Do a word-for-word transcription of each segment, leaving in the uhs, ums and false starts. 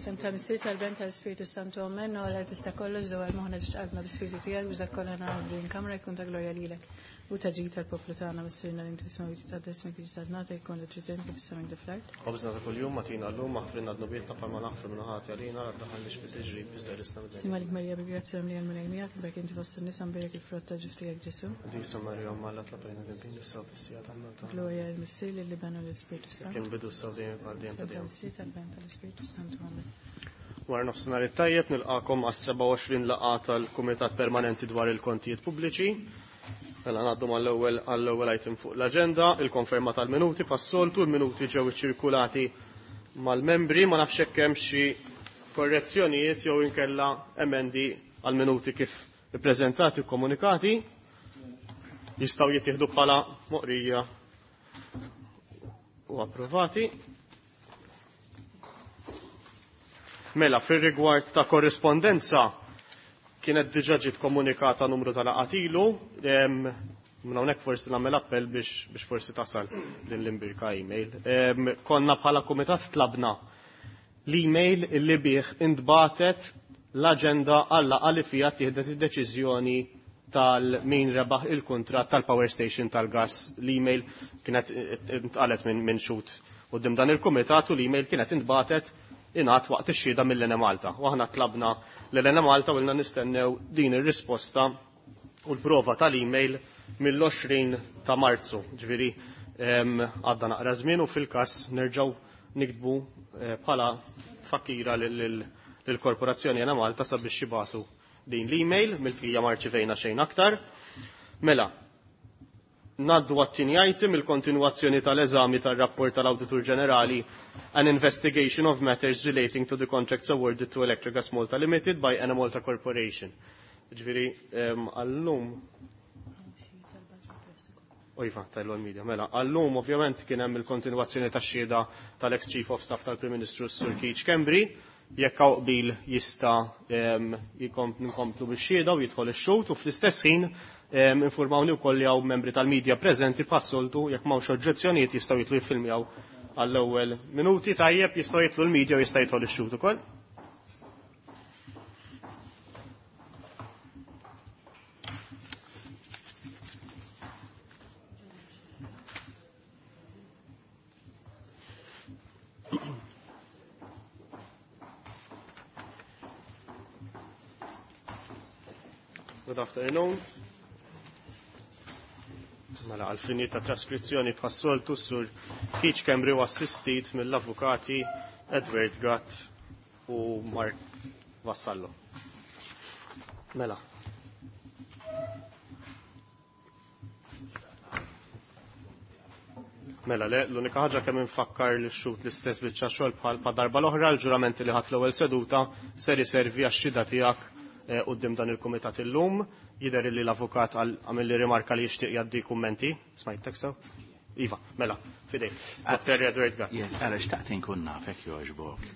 Sem ta' Missier tal-Ben tal-Spiritu Santu Amen, u għal tista' kollox dwar moħħna ġiet qalbna bi-Spiritu tiegħek biex dak kollha naraw din kamra jkun ta' glorja lilek. U ta' ġid tal-poplu tagħna missierna li inti fis-smewwiet titqaddes ismek tiġi saltnatek jkun li trid inti fis-sema kif fl-art. Ħobżna ta' kuljum agħtina llum aħfrilna dnubietna bħalma naħfru min hu ħati għalina, la ddaħħalniex fit-tiġrib iżda eħlisna mid-dnub. Sliem għalik Marija bil-grazzja mimlija l-Mulej miegħek, imbierka inti fost in-nisa mbierek il-frott ta' ġuf tiegħek Ġesù. Qaddisa Marija Omm Alla itlob għalina midinbin issa u fis-siegħa tal-mewt tagħna. Glorja lill-Missier lill-Iben u lill-Ispirtu Santu. Kien bidu issa u dejjem għal dejjem ta' Sem ta' dejjem. Missier tal-Ben tal-Ispirtu Santu Amen. Wara nofsinhar it-tajjeb nilqakom għas-sebgħa u għoxrin laqgħa tal-Kumitat Permanenti dwar il-Kontijiet Pubbliċi. Mela ngħaddu mal-ewwel għall-ewwel item fuq l-aġenda, il-konferma tal-minuti pas-soltu, il-minuti ġew iċċirkulati mal-membri, ma nafx hekk hemm xi korrezzjonijiet jew inkella emendi għall-minuti kif ippreżentati u komunikati. Jistgħu jittieħdu bħala moqrija u approvati. Mela, fir-rigward ta' korrispondenza kienet diġà ġiet komunikata numru ta' laqgħat ilu, em, minn hawnhekk forsi nagħmel appell biex, biex forsi tasal din l-imbirka email. Em, konna bħala kumitat tlabna l-email illi bih intbatet l-aġenda għal laqgħa li fiha ttieħdet id-deċiżjoni tal-min rebaħ il-kuntratt tal-power station tal-gas. L-email kienet intqalet minn min xhud quddiem dan il-kumitat u l-email kienet intbatet ingħad waqt ix-xhieda mill-Enemalta. U aħna tlabna l-Enemalta u ilna nistennew din ir-risposta u l-prova tal-email mill-għoxrin ta' Marzu. Ġifieri, em, għadda naqra żmien u fil-każ nerġgħu niktbu, eh, bħala tfakkira lill-Korporazzjoni Enemalta sabiex jibgħatu din l-email, mill-bqija ma rċivejna xejn aktar. Mela, ngħaddu għat-tieni item, il-kontinwazzjoni tal-eżami tar-rapport tal-Awditur Ġenerali an investigation of matters relating to the contracts awarded to Electrogas Malta Limited by Enemalta Corporation. Ġifieri, em, għallum Ojfa, tajlu għal-media, mela, għallum ovvjament kien hemm il-kontinwazzjoni tax-xhieda tal-ex Chief of Staff tal-Prim Ministru Sur Keith Schembri, jekk hawn qbil jista', em, jikom-, nkomplu bix-xhieda u jidħol ix-xhud u fl-istess ħin, em, informawni wkoll li hawn membri tal-media preżenti bħas-soltu jekk m'hawnx oġġezzjonijiet jistgħu jitlu jiffilmjaw għall-ewwel minuti tajjeb jistgħu jitlu l-media u jista' jidħol ix-xhud ukoll. Good afternoon. Mela, għal-fini ta' traskrizzjoni bħas-soltu sur Keith Schembri u assistit mill-avukati Edward Gatt u Mark Vassallo. Mela. Mela, le, l-unika ħaġa kemm infakkar li x-xhud l-istess biċċa xogħol bħal pa darba l-oħra, l-ġuramenti li ħadd l-ewwel seduta ser iservi għax-xhieda tiegħek, eh, quddiem dan il-kumitat illum. Jidher li l-avukat għal-, għamel li rimarka li jixtieq jgħaddi kummenti. Smajtek sew? Iva, mela, fidejk. Ah, Doktor Edward Gatt. Yes, għala xtaqt inkun nafek jogħġbok.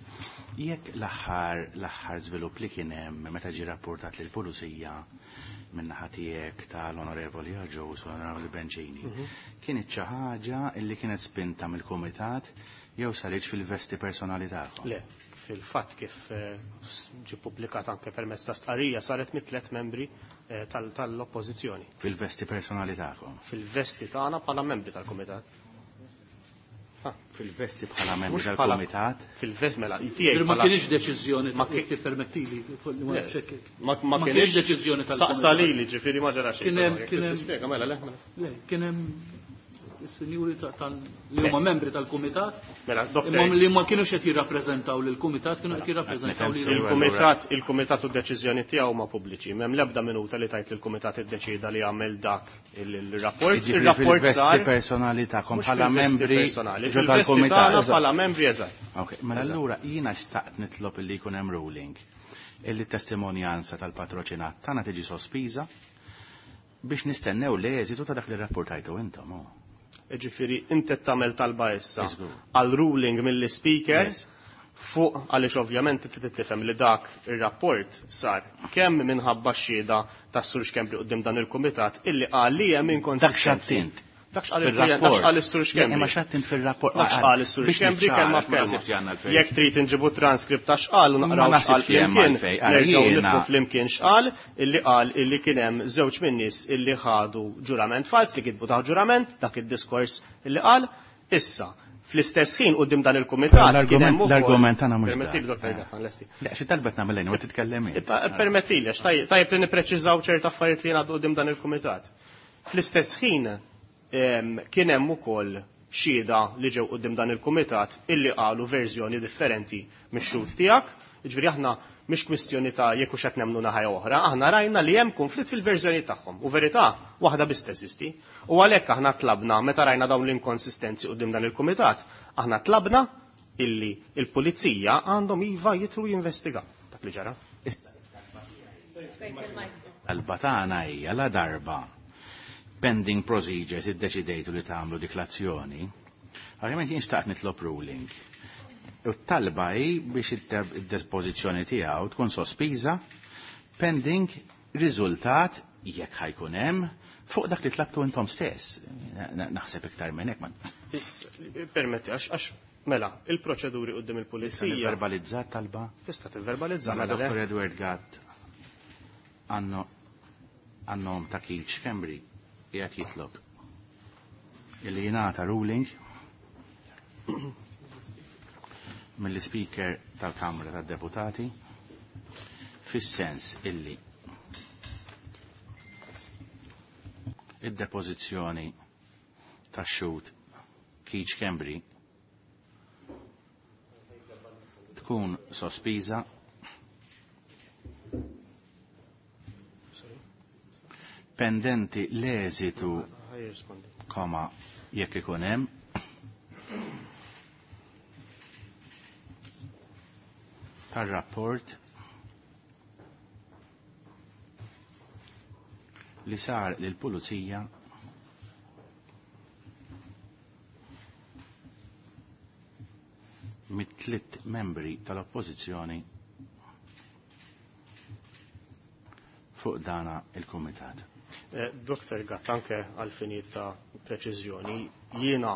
Jekk l-aħħar, l-aħħar żvilupp li kien hemm meta ġie rapportat lill pulizija min-naħa tiegħek tal-Onorevoli Agius u l-Onorevoli Bencini, Mhm. kienet xi ħaġa li kienet spinta mill-kumitat jew saritx fil-vesti personali tagħkom? Le, fil-fatt kif, eh, ġie ppubblikat anke permezz ta' stqarrija saret mit tliet membri, eh, tal-, tal-oppożizzjoni. Fil-vesti personali tagħkom? Fil-vesti tagħna bħala membri tal-kumitat. Ah. Fil-vesti bħala membri Mhux bħala tal-kumitat? Fil-vesti, mela, tiegħi Ma bħala kienx deċiżjoni Ma ta' ki- jekk tippermettili, li ma Le, nafx hekk. ma-, ma Ma kienx kienx deċiżjoni tal-kumitat. Saqsa lili, ġifieri ma ġara xejn. Kien hemm, Jekk kien hemm tispjega, mela, le, mela. Le, kien hemm is-sinjuri ta-, tal-, li huma membri tal-kumitat, Mela, doktor. imma li ma kienux qed jirrappreżentaw lill-kumitat, kienu qed jirrappreżentaw Mela, lil Il-kumitat, il-kumitat u d-deċiżjoni tiegħu huma pubbliċi. M'hemm l-ebda minuta li tajt li l-kumitat iddeċieda li jagħmel dak il-, il-rapport. Jiġifieri Il-rapport fil-vesti sar personali tagħkom Mhux bħala fil-vesti membri personali, ġo fil-vesti tal-kumitat. tagħna bħala membri, eżatt. Ok, mela Eżatt. allura jiena xtaqt nitlob illi jkun hemm ruling illi t-testimonjanza tal-patroċinat tagħna tiġi sospiża biex nistennew l-eżitu ta' dak li rrapportajtu intom. Oh. Ġifieri, inti tagħmel talba issa Iżgur. għal ruling mill-speaker Yes. fuq għaliex ovvjament inti tifhem li dak ir-rapport sar kemm minħabba x-xhieda tas-Sur Schembri quddiem dan il-kumitat illi qal li hemm inkonsistenzi. Dak x'għadt int. Dak x'qal il-rapport. Dak x'qal is-Sur Schembri. Imma x'għedt int fir-rapport. Dak x'qal is-Sur Schembri kelma f'kelma. Jekk trid inġibu transkript ta' x'qal u naqraw x'qal flimkien, nerġgħu nidħlu flimkien x'qal, illi qal illi kien hemm żewġ min-nies illi ħadu ġurament fals li kitbu taħt ġurament, dak id-diskors illi qal. Issa, fl-istess ħin quddiem dan il-kumitat kien hemm ukoll. L-argument tagħna mhux. Permettili Dottor Gatt, lesti. Le, xi talbet nagħmel lejn u titkellem int. Permettili, għax tajjeb li nippreċiżaw ċerta affarijiet li jingħaddu quddiem dan il-kumitat. Fl-istess ħin kien hemm ukoll xhieda li ġew quddiem dan il-kumitat illi qalu verżjoni differenti mix-xhud tiegħek. Jiġifieri aħna mhix kwistjoni ta' jekk hux qed nemmnu naħa jew oħra, aħna rajna li hemm konflitt fil-verżjoni tagħhom u verità waħda biss teżisti. U għalhekk aħna tlabna meta rajna dawn l-inkonsistenzi quddiem dan il-kumitat, aħna tlabna illi il-pulizija għandhom iva jitru jinvestigaw dak li ġara. Talba tagħna hija la darba pending procedures iddeċidejtu li tagħmlu dik l-azzjoni, ovvjament jien xtaqt nitlob ruling. U t-talba hi biex id-dispożizzjoni tiegħu tkun sospiża pending riżultat jekk ħajkun hemm fuq dak li tlabtu intom stess. Naħseb iktar minn hekk ma. Permetti, għax għax mela, il-proċeduri quddiem il-pulizija. Verbalizzat talba? Tista' tivverbalizza. Mela Dottor Edward Gatt għannom ta' Keith Schembri qiegħed jitlob illi jingħata ruling mill-Speaker tal-Kamra tad-Deputati fis-sens illi id-depożizzjoni tax-xhud Keith Schembri tkun sospiża pendenti l-eżitu koma jekk ikun hemm tar-rapport li sar lill-pulizija mit-tliet membri tal-Oppożizzjoni fuq dana il-Kumitat. Dottor Gatt, anke għal-finijiet ta' preċiżjoni, jiena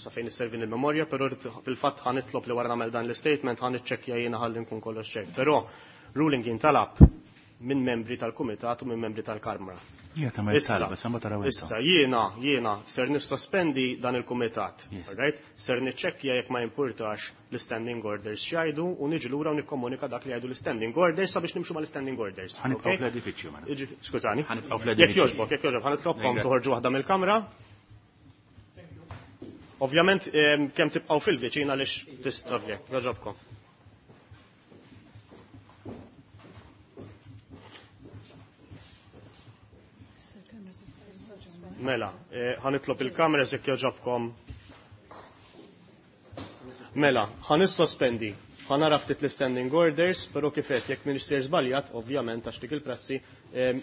sa fejn isservin il-memorja, però fil-fatt ħa nitlob li wara nagħmel dan l-statement ħa niċċekkja jiena ħalli nkun kollox ċert. Però ruling jintalab minn membri tal-Kumitat u minn membri tal-Kamra. Issa jiena jiena ser nissospendi dan il-Kumitat. Right? Ser niċċekkja jekk ma jimpurtax l-standing orders x'jgħidu u niġi lura u nikkomunika dak li jgħidu l-standing orders sabiex nimxu mal-standing orders. Ħanibqgħu fl-edifiċju mela. Skużani. Ħanibqgħu fl-edifiċju. Jekk jogħġbok, jekk jogħġbok, ħanitlobkom toħorġu waħda mill-kamra. Ovvjament kemm tibqgħu fil-viċin għaliex tista' jogħġobkom. Mela, ħanitlob il-kameras jekk jogħġobkom. Mela, ħanissospendi. Ħanara ftit l-standing orders, però kif qed jekk m'iniex ser żbaljat, ovvjament għax dik il-prassi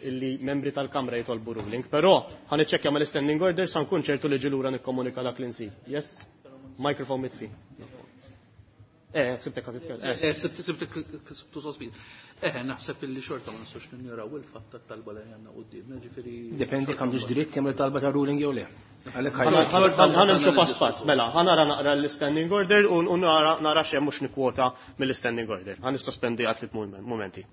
illi membri tal-Kamra jitolbu ruling. Però ħaniċċekkja mal-standing orders sa nkun ċertu li ġi lura nikkomunika dak li nsib. Yes? Microphone mitfi. Eh, sibtek ħa titkellem. Eh, sibtek sibtu sospiż. Eh, naħseb illi xorta ma nistgħux ninjuraw il-fatt tat-talba li għandna qudiemna, ġifieri. Dependi kemm għandux dritt jagħmel talba ta' ruling jew le. Ħanimxu pass pass, mela, ħanara naqra l-standing order u nara nara x'hemm mhux nikkwota mill-standing order. Ħa nissospendi għal tliet mumenti.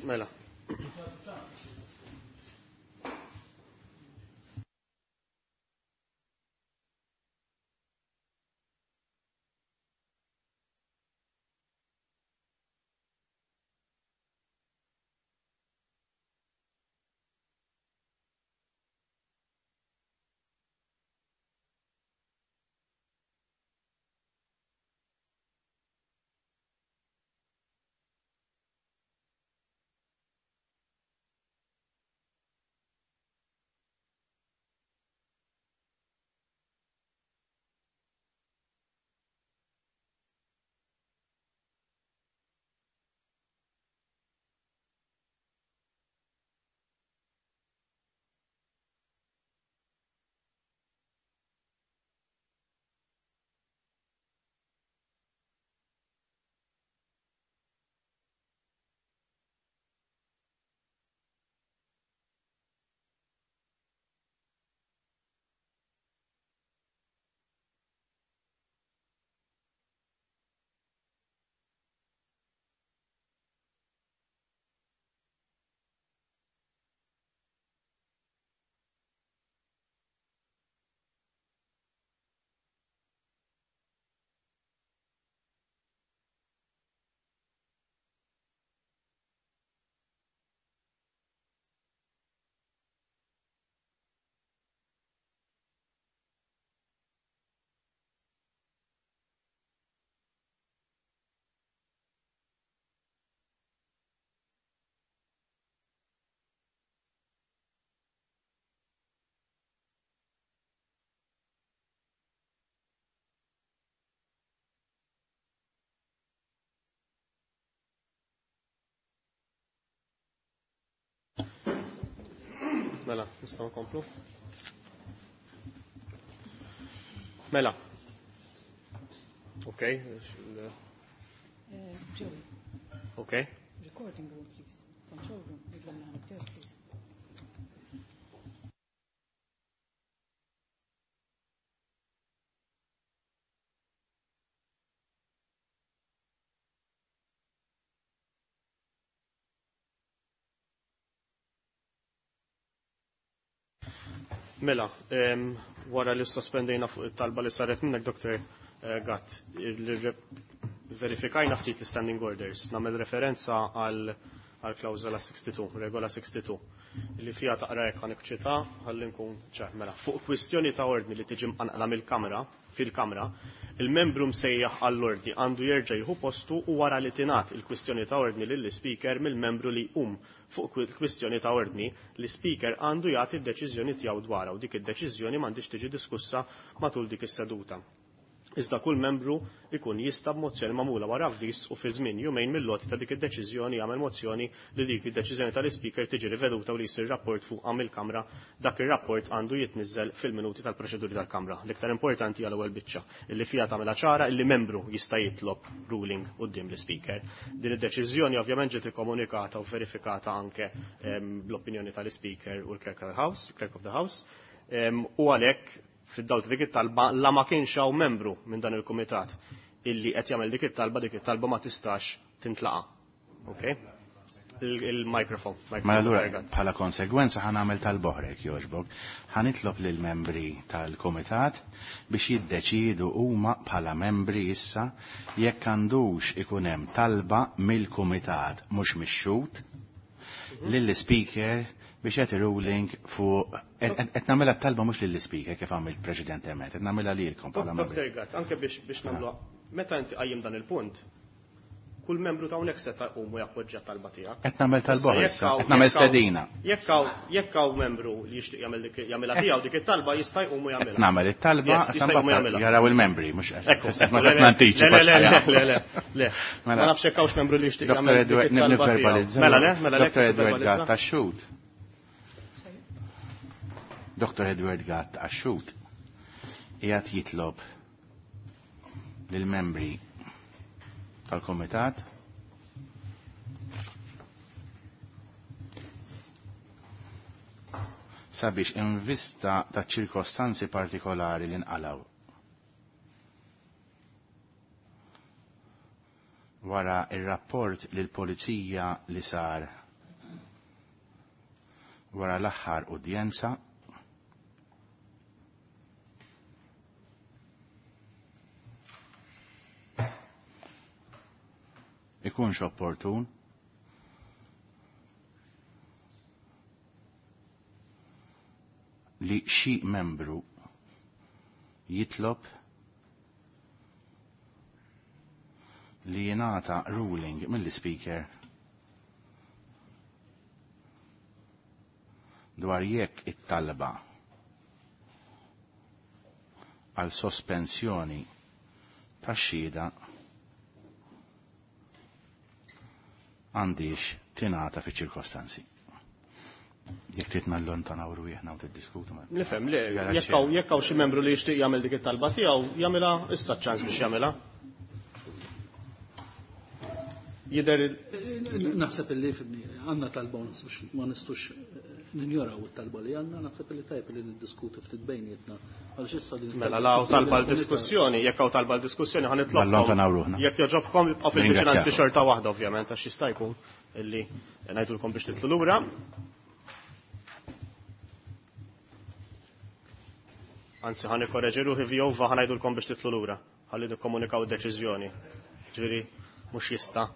Mela. Mela, nistgħu nkomplu. Mela. Okay. Uh, Joey. Okay. Recording room, please. Control room. Please. Mela, um, wara li sospendejna fuq it-talba li saret minnek, Doktor Gatt, verifikajna ftit l-standing orders, nagħmel referenza għal għal klawżola sixty-two, regola sixty-two, li fija taqra jekk ħanikċita ħalli nkun ċar. Mela, fuq kwistjoni ta' ordni li tiġi mqanqla mill-kamra, fil-kamra, il-membru msejjaħ għall-ordni għandu jerġa' jieħu postu u wara li tingħat il-kwistjoni ta' ordni lill-ispeaker mill-membru li jqum fuq kwistjoni ta' ordni, l-ispeaker għandu jagħti d-deċiżjoni tiegħu dwarha u dik id-deċiżjoni m'għandix tiġi diskussa matul dik is-seduta. Iżda kull membru ikun jista' b'mozzjoni magħmula wara avviż u fi żmien jumejn mill-lot ta' dik id-deċiżjoni jagħmel mozzjoni li dik id-deċiżjoni tal-ispeaker tiġi riveduta u li jsir rapport fuqha mill-Kamra. Dak ir-rapport għandu jitniżżel fil-minuti tal-proċeduri tal-Kamra. L-iktar importanti għal ewwel biċċa illi fiha tagħmilha ċara illi membru jista' jitlob ruling quddiem l-ispeaker. Din id-deċiżjoni ovvjament ġiet ikkomunikata u verifikata anke bl-opinjoni tal-ispeaker u l-Clerk of the House, Clerk of the House, u għalhekk fid-dawl ta' dik it-talba la ma kienx hawn membru minn dan il-kumitat illi qed jagħmel dik it-talba, dik it-talba ma tistax tintlaqa. Okay? Il-mikrofon. Mela allura bħala konsegwenza ħa nagħmel tal-boħrek jogħġbok. Ħa nitlob lill-membri tal-kumitat biex jiddeċiedu huma bħala membri issa jekk għandux ikun hemm talba mill-kumitat mhux mix-xhud lill-speaker biex qed ruling fuq qed nagħmilha talba mhux lill-ispeaker kif għamilt preċedentement, qed nagħmilha lilkom bħala membri. Doktor Gatt, anke biex biex nagħmlu meta inti qajjim dan il-punt, kull membru ta' hawnhekk se taqum u jappoġġja talba tiegħek. Qed nagħmel talba issa, qed nagħmel stedina. Jekk hawn jekk hawn membru li jixtieq jagħmel dik jagħmilha tiegħu dik it-talba jista' jqum u jagħmilha. Qed nagħmel it-talba jaraw il-membri mhux qed ma se nantiċipa. Le le le le. Ma nafx hekk hawnx membru li jixtieq jagħmel dik it-talba. Mela le, mela le. Doktor Edward Gatt tax-xhud. Doktor Edward Gatt għax-xhud qiegħed jitlob lill-membri tal-Komitat sabiex in vista ta' ċirkostanzi partikolari li nqalaw wara ir-rapport lill-pulizija li sar wara l-aħħar udjenza ikunx opportun li xi membru jitlob li jingħata ruling mill-speaker dwar jekk it-talba għal sospensjoni tax-xhieda għandix tingħata fi ċirkostanzi. Jekk trid nallontanaw rwieħna u tiddiskutu ma. Nifhem li jekk hawn jekk hawn xi membru li jixtieq jagħmel dik it-talba tiegħu jagħmilha issa ċ-ċans biex jagħmilha. Jidher Naħseb illi fimni, għandna talba u biex ma nistux ninjoraw it-talba li għandna, naħseb illi tajb li niddiskutu ftit bejnietna. Għaliex issa din Mela la hawn talba l-diskussjoni, jekk hawn talba l-diskussjoni ħa nitlobkom. Nallontanaw ruħna. Jekk jogħġobkom ibqgħu fil-viċinanzi Ringrazzjakom. xorta waħda ovvjament għax jista' jkun illi ngħidulkom biex titlu lura. Anzi ħa nikkoreġi ruħi vjova ħa ngħidulkom biex titlu lura ħalli nikkomunikaw id-deċiżjoni. Ġifieri mhux jista'.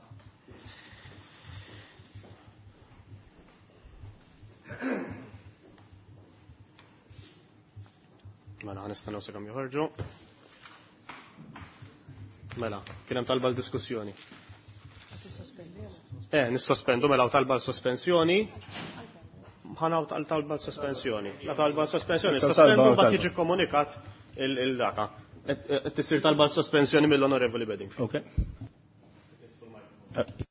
Mela ħa nistennew sakemm joħorġu. Mela, kien hemm talba l-diskussjoni. Eh, nissospendu mela hawn talba l-sospensjoni. Ħanaw tal talba l-sospensjoni. La talba l-sospensjoni, Talba, sospendu talba. mbagħad jiġi komunikat il-daka. Qed tisir talba l-sospensjoni mill-Onorevoli Bedingfield. Okay.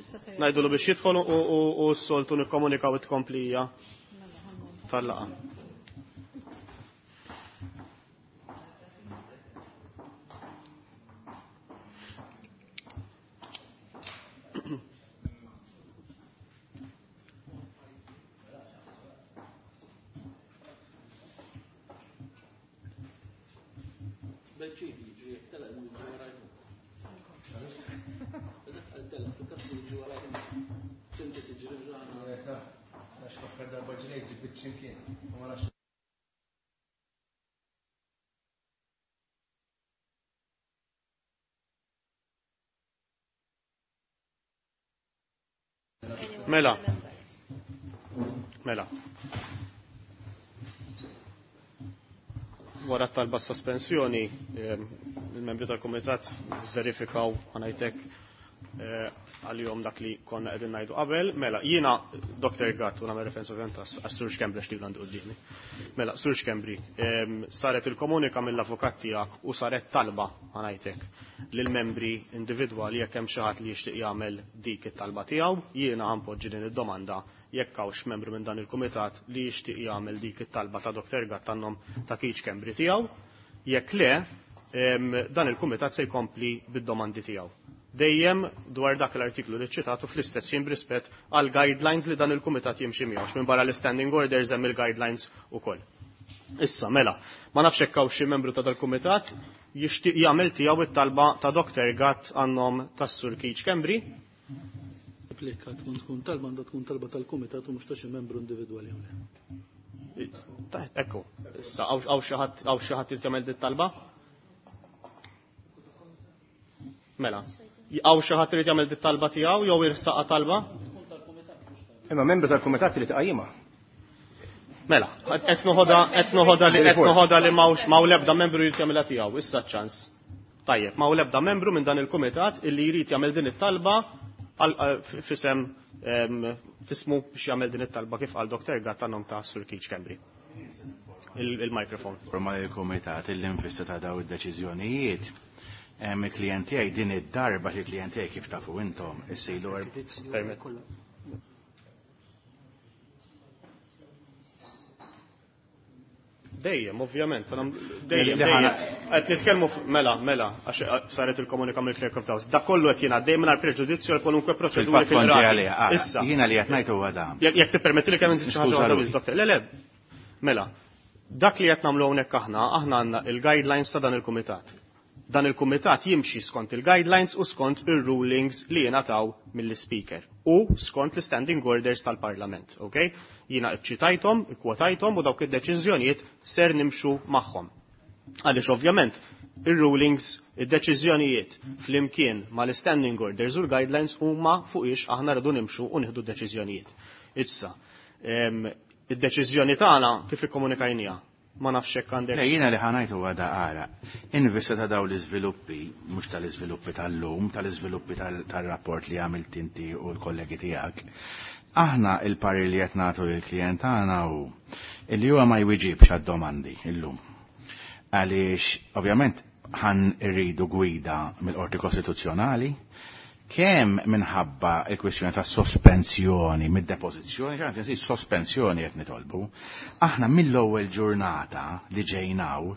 Ngħidulu biex jidħol u s-soltu nikkomunikaw it-tkomplija tal-laqgħa. Mela. Mela. Wara talba sospensjoni, il-membri tal-Kumitat verifikaw ħanajtek għal-jom dak li konna qegħdin ngħidu qabel. Mela, jiena Doktor Gatt, u nagħmel referenza ovvjament għas-Sur Schembri għax għandu quddiemi. Mela, Sur Schembri, saret il-komunika mill-avukat tiegħek u saret talba ħanajtek lill-membri individwali jekk hemm xi ħadd li jixtieq jagħmel dik it-talba tiegħu. Jiena ħanpoġġi din id-domanda jekk hawnx membru minn dan il-kumitat li jixtieq jagħmel dik it-talba ta' Doktor Gatt tan-nom ta' Keith Schembri tiegħu. Jekk le, dan il-kumitat se jkompli bid-domandi tiegħu. Dejjem dwar dak l-artiklu li ċitatu fl-istess jien b'rispett għal guidelines li dan il-kumitat jimxi miegħu, minn barra l-standing orders hemm il-guidelines ukoll. Issa, mela, ma nafx hekk hawn xi membru ta' dal-kumitat jixtieq jagħmel tiegħu it-talba ta' Doktor Gatt għan-nom tas-Sur Keith Schembri. Applika tkun tkun talba għandha tkun talba tal-kumitat u mhux ta' xi membru individwali jew le. Ekku, issa hawn xi ħadd hawn xi ħadd jagħmel dit talba? Mela, għaw xi ħadd irid jagħmel dit talba tiegħu jew irsaqa talba? Imma membru tal-kumitat li tqajjimha. Mela, qed noħodha qed noħodha li qed noħodha li m'hawnx m'hawn l-ebda membru jrid jagħmilha tiegħu, issa ċ-ċans. Tajjeb, m'hawn l-ebda membru minn dan il-kumitat illi jrid jagħmel din it-talba fisem fismu biex jagħmel din it-talba kif qal Doktor Gatt tan-nom ta' Sur Keith Schembri. Il-mikrofon. Forma il-kumitat illi nfista ta' daw id-deċiżjonijiet. Il-klient tiegħi din id-darba li klient tiegħi kif tafu intom issilu Dejjem, ovvjament, dejjem, dejjem. Qed nitkellmu mela, mela, għax saret il-komunika mill-Clerk of the House. Da kollu qed jiena dejjem mingħajr preġudizzju għal kwalunkwe proċeduri fil-qrati. Issa. Jiena li qed ngħid huwa dan. Jekk tippermetti li kemm inżid xi ħaġa waħda biss, Doktor. Le, le. Mela, dak li qed nagħmlu hawnhekk aħna, aħna għandna il-guidelines ta' dan il-kumitat. Dan il-kumitat jimxi skont il-guidelines u skont il-rulings li jingħataw mill-speaker u skont l-standing orders tal-Parlament, ok? Jiena iċċitajthom, ikkwotajthom u dawk id-deċiżjonijiet ser nimxu magħhom. Għaliex ovvjament ir-rulings, id-deċiżjonijiet flimkien mal-standing orders u l-guidelines huma fuq ix aħna rridu nimxu u nieħdu deċiżjonijiet. Issa, id-deċiżjoni tagħna kif ikkomunikajniha? Ma nafx hekk għandek. Le, jiena li ħanajt huwa da ara. In vista ta' daw l-iżviluppi, mhux tal-iżviluppi tal-lum, tal-iżviluppi tal-rapport li għamilt inti u l-kollegi tiegħek, aħna il-parir li qed nagħtu lill-klijent tagħna hu illi huwa ma jwiġibx għad-domandi illum. Għaliex ovvjament ħan irridu gwida mill-Qorti Kostituzzjonali, kemm minħabba il-kwistjoni ta' sospensjoni mid-depożizzjoni, ċan tinsi sospensjoni qed nitolbu, aħna mill-ewwel ġurnata li ġejnaw,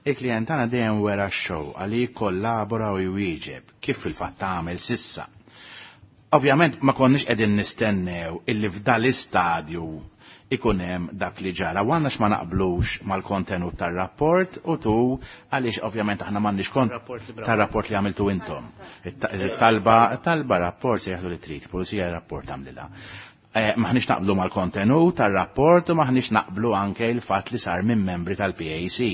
il-klient tagħna dejjem wera x-xewqa li jikkollabora u jwieġeb kif fil-fatt għamel sissa. Ovvjament ma konniex qegħdin nistennew illi f'dal-istadju ikun hemm dak li ġara. U għandna ma naqblux mal-kontenut tar-rapport u tu għaliex ovvjament aħna m'għandniex kont tar-rapport li għamiltu intom. Talba talba rapport se jaħdu li trid, pulizija rapport għamlilha. Maħniex naqblu mal-kontenut tar-rapport u maħniex naqblu anke il-fatt li sar minn membri tal-P A C.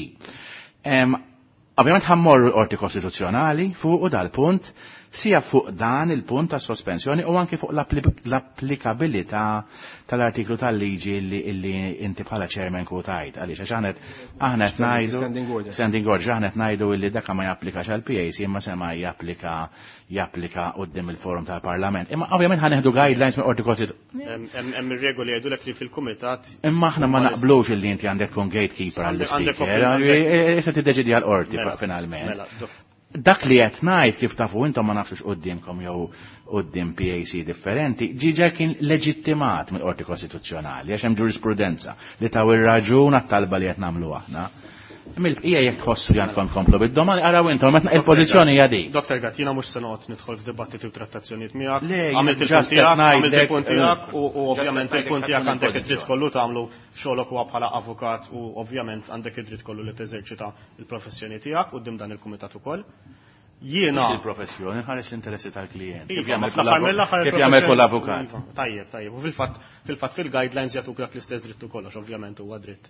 Ovvjament ħammorru l-Qorti Kostituzzjonali fuq u dal-punt, sija fuq dan il-punt ta' sospensjoni u anke fuq l-applikabilità tal-artiklu tal-liġi illi, illi inti bħala chairman kwotajt. Għaliex għax aħna aħna qed ngħidu Standing order. Standing order, aħna qed ngħidu illi dak ma japplikax għal P A C imma sema japplika, japplika quddiem il-forum tal-Parlament. Imma ovvjament ħaneħdu guidelines mill-Qorti Kostituzzjonali. Hemm ir-regoli jgħidulek li fil-kumitat Imma aħna ma naqblux illi inti għandek tkun gatekeeper Għandek għall-speaker. għandek Issa tiddeċidi għall-qorti Mela, finalment. mela, dof. Dak li qed ngħid kif tafu intom ma nafx quddiemkom jew quddiem P A C differenti, ġiġa kien leġittimat mill-Qorti Kostituzzjonali għax hemm ġurisprudenza li taw ir-raġun għat-talba li qed nagħmlu aħna. Mill-bqija jekk tħossu li għandkom tkomplu bid-domandi, araw intom, meta il-pożizzjoni hija dik. Doktor Gatt, jiena mhux se noqgħod nidħol f'dibattiti u trattazzjonijiet miegħek. Għamilt il-punt tiegħek, għamilt il-punt tiegħek u ovvjament il-punt tiegħek għandek id-dritt kollu tagħmlu xogħlok huwa bħala avukat u ovvjament għandek id-dritt kollu li teżerċita l-professjoni tiegħek quddiem dan il-kumitat ukoll. Jiena il-professjoni ħares l-interessi tal-klijent. Kif jagħmel kull avukat. Tajjeb, tajjeb. U fil-fatt fil-fatt fil-guidelines jagħtuk dak l-istess dritt ukoll, ovvjament huwa dritt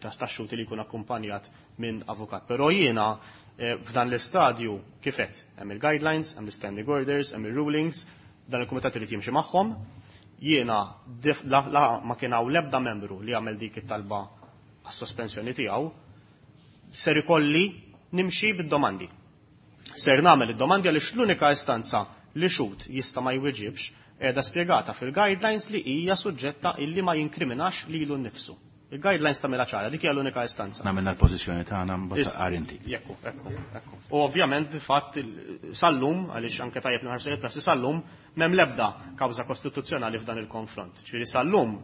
tax-xhud li jkun akkumpanjat minn avukat. Però jiena f'dan l-istadju kif qed hemm il-guidelines, hemm l-standing orders, hemm ir-rulings, dan il-kumitat irid jimxi magħhom. Jiena la ma kien hawn l-ebda membru li għamel dik it-talba għas-sospensjoni tiegħu, ser ikolli nimxi bid-domandi. Ser nagħmel id-domandi għaliex l-unika istanza li xhud jista' ma jweġibx qiegħda spjegata fil-guidelines li hija suġġetta illi ma jinkriminax lilu nnifsu. Il-guidelines tagħmilha ċara, dik hija l-unika istanza. Nagħmilna l-pożizzjoni tagħna mbagħad qar inti. Jekku, ekku, ekku. U ovvjament di fatt sal-lum, għaliex anke tajjeb nħarsu il-prassi sal-lum, m'hemm l-ebda kawża kostituzzjonali f'dan il-konfront. Ġifieri sal-lum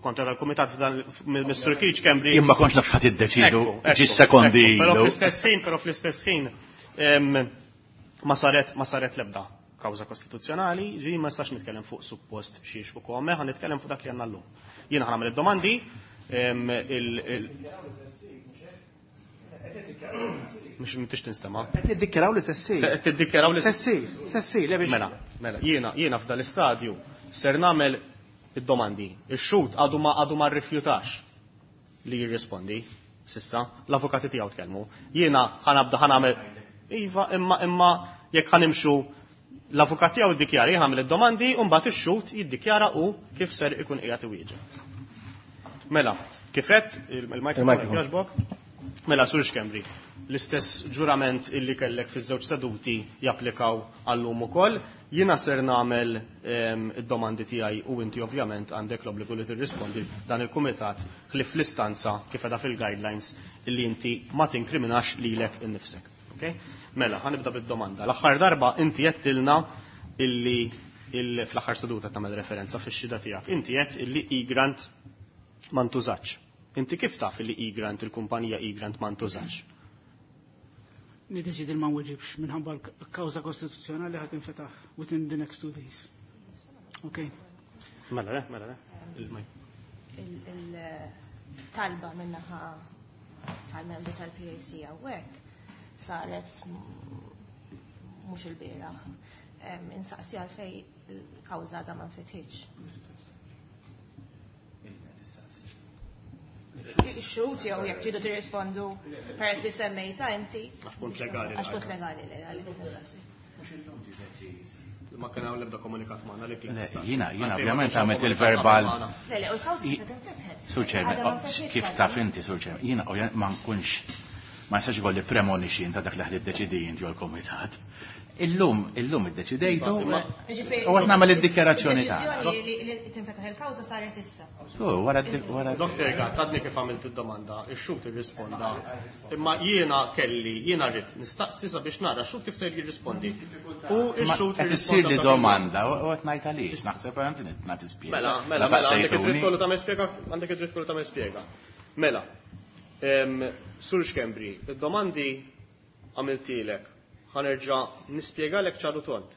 kontra tal-kumitat f'dan Mister Keith Schembri. Jien ma kontx naf x'ħadd iddeċidu, ġi sekondi. Però fl-istess ħin, però fl-istess ħin ma saret, ma saret l-ebda kawża kostituzzjonali, ġi ma nistax nitkellem fuq suppost xiex u kome, ħan nitkellem fuq dak li għandna llum. Jiena ħa nagħmel id-domandi, il-, mhux m'intix tinstema'. Qed niddikjaraw li se ssir. Qed tiddikjaraw li se ssir, se ssir, le biex Mela, mela, jiena, jiena f'dan l-istadju ser nagħmel id-domandi. Ix-xhud għadu ma, għadu ma rrifjutax li jirrispondi sissa, l-avukati tiegħu tkellmu. Jiena ħa nabda ħa nagħmel Iva, imma, imma jekk ħanimxu l-avukat tiegħu jiddikjara, jien nagħmel id-domandi u mbagħad ix-xhud jiddikjara u kif ser ikun qiegħed iwieġeb. Mela, kif qed il-mikrofon Il-mikrofon. jogħġbok? Mela, Sur Schembri, l-istess ġurament illi kellek fiż-żewġ seduti japplikaw għallum ukoll. Jiena ser nagħmel, ehm, id-domandi tiegħi u inti ovvjament għandek l-obbligu li tirrispondi dan il-kumitat ħlief fl-istanza kif qiegħda fil-guidelines illi inti ma tinkriminax lilek innifsek. Okay? Mela, ħanibda bid-domanda. L-aħħar darba inti għedtilna illi il-, fl-aħħar seduta tagħmel referenza fix-xhieda tiegħek. Inti għedt illi Egrant ma ntużax. Inti kif taf illi Egrant, il-kumpanija Egrant ma ntużax? Niddeċidi ma nweġibx minħabba l-kawża kostituzzjonali ħad tinfetaħ within the next two days. Okay. Mela, le, mela, le. Il-maj. Il-talba minnaħa tal-membri tal-P A C hawnhekk saret mhux il-bieraħ. Em, insaqsi għalfej il-kawża da ma nfetħitx. Ix-xhud jew jekk tridu tirrispondu peress li semmejta inti. Għax punt legali. Għax punt legali, legali, insaqsi. Ma kien hawn l-ebda komunikat magħna li kien Le, tistaqsi. jiena, jiena Għalfejn ma ovvjament kienx hawn għamilt komunikat il-verbal. magħna. Le, le, u l-kawża I- se tinfetħet. Sur Chairman, Għadha ma oh, nfetħitx kif għadha. taf inti, Sur Chairman, jiena ovvjament ma nkunx ma nistax ikolli premonition ta' dak li ħad iddeċidi inti jew l-kumitat. Illum, illum iddeċidejtu Imma- Ġifieri, u qed nagħmel id-dikjarazzjoni tagħna. Id-deċiżjoni li, li tinfetaħ il-kawża saret issa. So, wara d-, wara d- Doktor Gatt, għadni kif għamilt id-domanda, ix-xhud irrisponda. Imma jiena kelli, jiena rrid nistaqsi sabiex nara x-xhud kif ser jirrispondi. U Ma x-xhud qed issir li irrisponda domanda u qed ngħid għaliex, naħseb għandi nagħti spjega. Mela, mela, mela, għandek id-dritt kollu tagħmel spjega, għandek id-dritt kollu tagħmel spjega. Mela, em, Sur Schembri, id-domandi għamiltilek, ħanerġa' nispjegalek ċaru tont.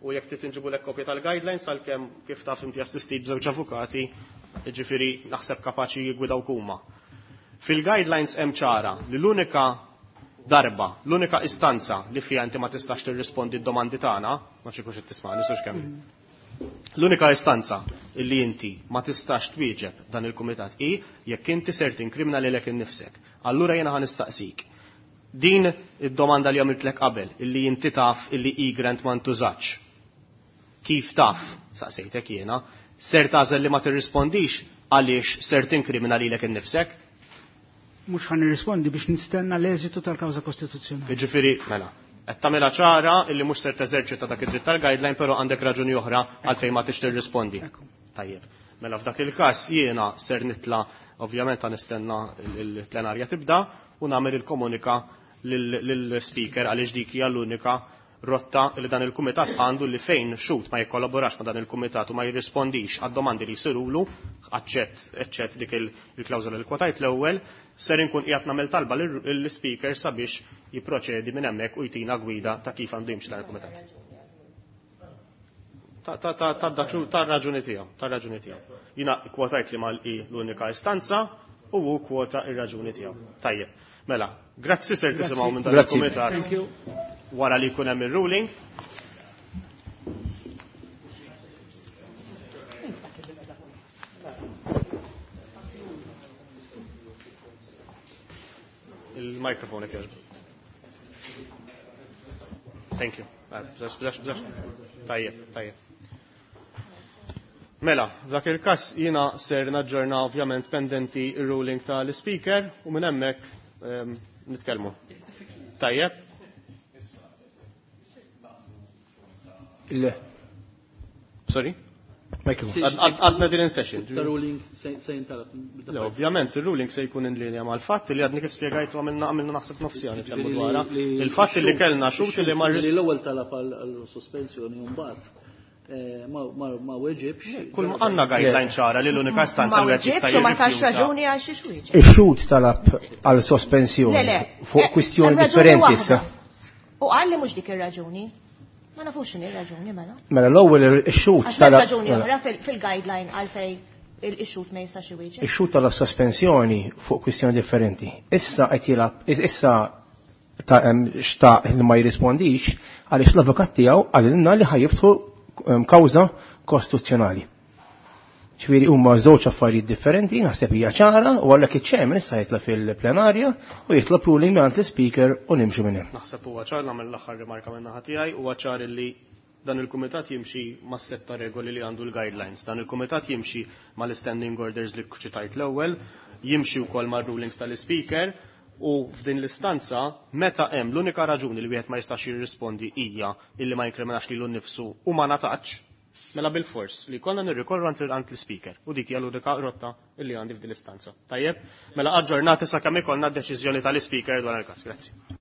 U jekk trid inġibulek kopja tal-guidelines għalkemm kif taf inti assistit b'żewġ avukati, jiġifieri naħseb kapaċi jiggwidaw huma. Fil-guidelines hemm ċara li l-unika darba, l-unika istanza li fiha inti ma tistax tirrispondi d-domandi tagħna, ma nafx kux qed tismani, Sur Schembri. L-unika istanza li inti ma tistax twieġeb dan il-kumitat hi jekk inti ser tinkrimina lilek innifsek. Allura jiena ħa nistaqsik. Din id-domanda li għamiltlek qabel, illi inti taf illi Egrant ma ntużax. Kif taf, saqsejtek jiena, ser tagħżel li ma tirrispondix għaliex ser tinkrimina lilek innifsek? Mhux ħa nirrispondi biex nistenna l-eżitu tal-kawża kostituzzjonali. Jiġifieri, mela, qed tagħmilha ċara illi mhux ser teżerċita dak id-dritt tal-guideline, però għandek raġuni oħra għalfejn ma tix tirrispondi. Ekku. Tajjeb. Mela f'dak il-każ jiena ser nitla, ovvjament ħa nistenna il-plenarja tibda u nagħmel il-komunika lill-speaker għaliex dik hija l-unika rotta li dan il-kumitat għandu li fejn xut ma jikkollaborax ma dan il-kumitat u ma jirrispondix għad-domandi li jsirulu, aċċett eċċett dik il-klawżola li kwotajt l-ewwel, ser inkun qiegħed nagħmel talba lill-speaker sabiex jipproċedi minn hemmhekk u jtina gwida ta' kif għandu jimxi dan il-kumitat. Ta' raġuni tiegħu, ta' raġuni tiegħu. Jiena kwotajt li mal l-unika istanza u hu kwota ir-raġuni tiegħu. Tajjeb. Mela, grazzi ser tisimgħu minn dan il-kumitat. Wara li jkun hemm ir-ruling. Il-mikrofon jekk jogħġbok. Thank you. Bżax, bżax, bżax. Tajjeb, tajjeb. Mela, f'dak il-każ jiena ser naġġorna ovvjament pendenti ir-ruling tal-speaker u minn hemmhekk nitkellmu. Tajjeb. Le. Sorry? Għadna din in session. Il-ruling se jintalab. Le, ovvjament, il-ruling se jkun in linja mal-fatt li għadni kif spjegajtu għamilna għamilna naħseb nofsija nitkellmu dwarha. Il-fatt li kellna xut li ma li l-ewwel talab għal sospensjoni u mbagħad ma weġibx. Kull għandna guideline ċara li l-unika istanza li jista' ma tax raġuni għal xi xwieġeb. Ix-xut talab għal sospensjoni fuq kwistjoni differenti issa. U qal li mhux dik ir-raġuni. Ma nafux x'inhi r-raġuni mela. Mela l-ewwel ix-xut talab raġuni oħra fil-guideline għalfej il-xut ma jistax iwieġeb. Ix-xut talab sospensjoni fuq kwistjoni differenti. Issa qed jilgħab issa ta' xtaq li ma jirrispondix għaliex l-avukat tiegħu qalilna li ħajiftħu kawża kostituzzjonali. Ġifieri huma żewġ affarijiet differenti, naħseb hija ċara u għalhekk iċ-chairman issa jitla' fil-plenarja u jitlob ruling mingħand l-speaker u nimxu minn hemm. Naħseb huwa ċar nagħmel l-aħħar rimarka minn naħa tiegħi, huwa ċar li dan il-kumitat jimxi mas-sett ta' regoli li għandu l-guidelines. Dan il-kumitat jimxi mal-standing orders li ċitajt l-ewwel, jimxi wkoll mar-rulings tal-speaker u f'din l-istanza meta hemm l-unika raġuni li wieħed ma jistax jirrispondi hija illi ma jinkriminax lilu nnifsu u ma ngħatax, mela bil-fors li konna nirrikorru għand l-speaker u dik hija l-unika rotta illi għandi f'din l-istanza. Tajjeb, mela aġġornati sakemm ikollna d-deċiżjoni tal-speaker dwar il-każ. Grazzi.